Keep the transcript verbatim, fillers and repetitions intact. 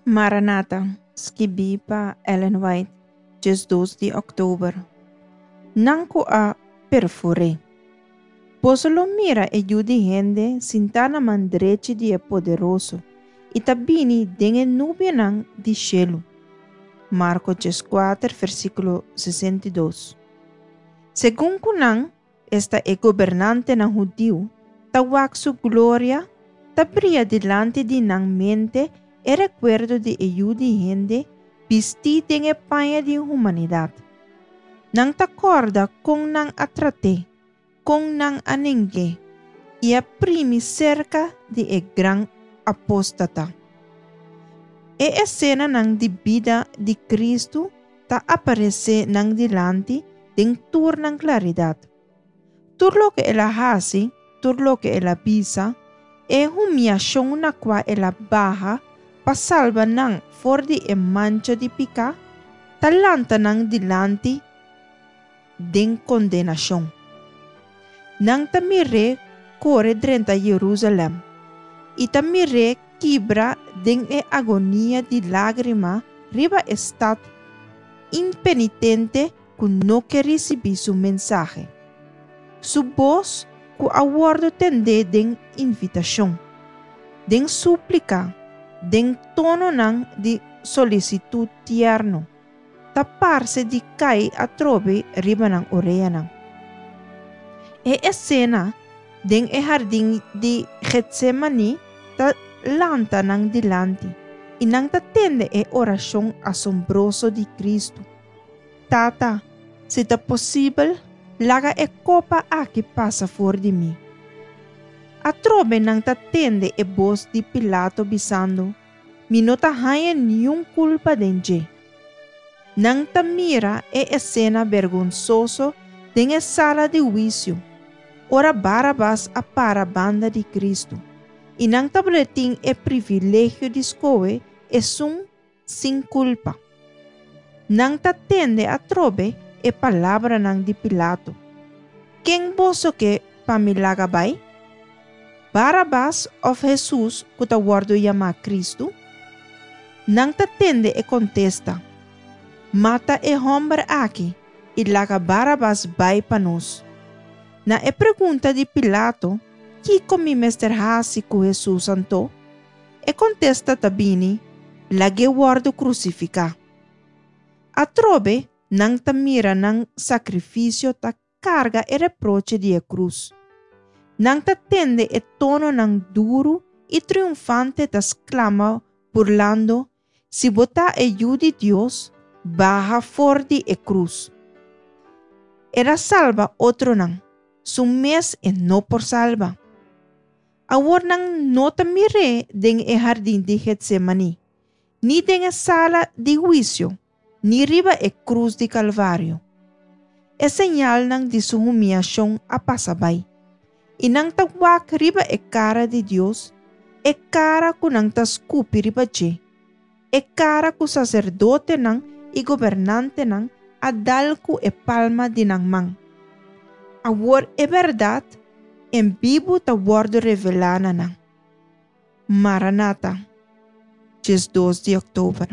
Maranata, skibí pa Ellen White, diesdos di òktober. Nan ku a perfur'é. Boso lo mira e Yu di hende sintá na man drechi di e Poderoso i ta bini den e nubianan di shelu. Marko dieskuater, versíkulo sesenta i dos. Segun ku nan, esta e gobernantenan hudiu, ta wak su gloria, ta bria dilanti di nan mente e rekuerdo di e Yu di hende bistí den e paña di humanidat. Nan ta kòrda kon nan a trat'é, kon nan a neng'é i a primi serka di e gran apóstata. E esenanan di bida di Kristu ta aparesé nan dilanti den tur nan klaridat. Tur loke el a hasi, tur loke el a bisa, e humiashon na kua el a baha pa salba nan for di e mancha di piká, ta lanta nan dilanti den kondenashon. Nan ta mir'é kore drenta Jerusalèm i ta mir'é kibra den e agonia di lágrima riba e stat impenitente ku no ke risibí su mensahe. Su bos ku a wòrdu tendé den invitashon, den súplika, den tononan di solisitut tierno, ta parse di kai atrobe riba nan oreanan. E esena den e hardin di Getsemani ta lanta nan dilanti i nan ta tende e orashon asombroso di Kristu, Tata, si ta posibel, laga e kopa aki pasa for di mi. Atrobe nan ta tende e bos di Pilato bisando, Mi no ta haña niun kulpa den dje. Nan ta mira e esena bergonsoso den e sala di huisio, ora Barabas a para banda di Kristu, i nan tabatin e privilegio di skohe esun sin kulpa. Nan ta tende atrobe e palabranan di Pilato, Ken boso ke pa mi laga bai? Barabas òf Hesus ku ta wòrdu yamá Kristu? Nan ta tende e kontesta, Mata e hòmber aki i laga Barabas bai pa nos. Na e pregunta di Pilato, Kiko mi mester hasi ku Hesus anto? E kontesta ta bini, Lag'é wòrdu krusifiká. Atrobe nan ta mira nan sakrifisio ta karga e reproche di e krus. Nan ta tende e tononan duru i triunfante ta sklama burlando, Si bo ta e Yu di Dios, baha for di e krus. El a salba otronan, su mes e no por salba. Awor nan no ta mir'é den e hardin di Getsemaní, ni den e sala di huisio, ni riba e krus di Kalvario. E señalnan di su humiashon a pasa bai, i nan ta wak riba e kara di Dios, e kara ku nan ta skupi riba dje, e kara ku saserdotenan i gobernantenan a dal ku e palma di nan man. Awor e bèrdat en bibu ta wòrdu revelá na nan. Maranata, diesdos di òktober.